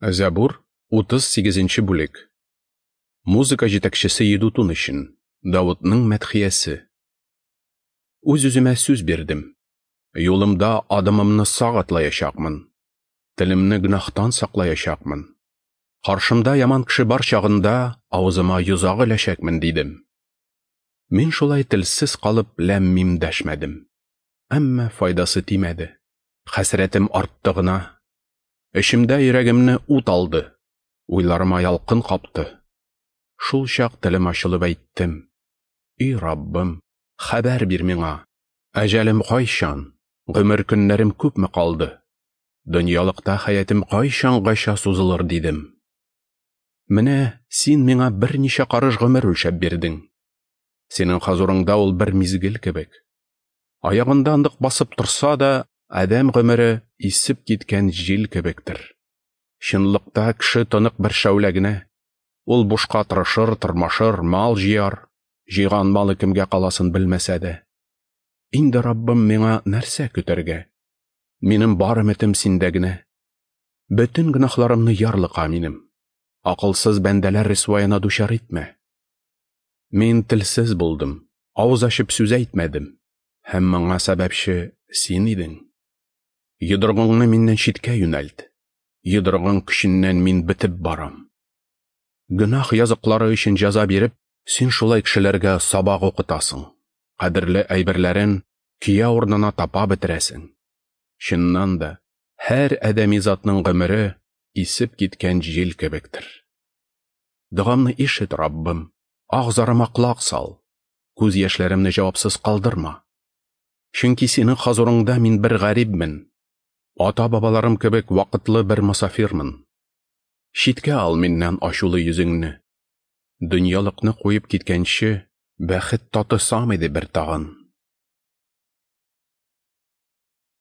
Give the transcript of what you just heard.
Зәбур, 38 нче бүлек. Музыка җитәкчесе Едутун өчен, Давытның мәдхиясе. Үз-үземә сүз бирдем. Юлымда адымымны сак атлаячакмын. Телемне гөнаһтан саклаячакмын. Каршымда яман кеше бар чагында авызыма йозак эләчәкмен, дидем. Мин шулай телсез калып ләм-мим дәшмәдем. Әмма файдасы тимәде. Хәсрәтем артты гына. Эчемдә йөрәгемне ут алды, уйларыма ялкын капты. Шул чак телем ачылып әйттем: И Раббым, хәбәр бир миңа, әҗәлем кайчан, гомер көннәрем күпме калды? Дөньялыкта хәятым кайчангача сузылыр, дидем. Менә син миңа берничә карыш гомер үлчәп бирдең. Синең хозурыңда ул бер мизгел кебек. Аягында нык басып торса да, адәм гомере исеп киткән җил кебектер. Чынлыкта кеше тонык бер шәүлә генә. Ул бушка тырышыр, тырмашыр, мал җыяр, җыйган малы кемгә каласын белмәсә дә. Инде Раббым миңа нәрсә көтәргә? Минем бар өметем синдә генә. Бөтен гөнаһларымны ярлыка минем. Акылсыз бәндәләр рисваена дучар итмә. Мин телсез булдым, авыз ачып сүз әйтмәдем. Һәм моңа сәбәпче син идең. Йодрыгыңны миннән читкә юнәлт. Йодрыгың көченнән мин бетеп барам. Гөнаһ языклары өчен җәза биреп, син шулай кешеләргә сабак укытасың. Кадерле әйберләрен көя урынына тапа бетерәсең. Чыннан да, һәр адәми затның гомере исеп киткән җил кебектер. Догамны ишет, Раббым, ах-зарыма колак сал. Күз яшьләремне җавапсыз калдырма. Чөнки синең хозурыңда мин бер гарибмен. Ата-бабаларым кебек вакытлы бер мосафирмын. Читкә ал миннән ачулы йөзеңне. Дөньялыкны куеп киткәнче, бәхет татысам иде бер тагын.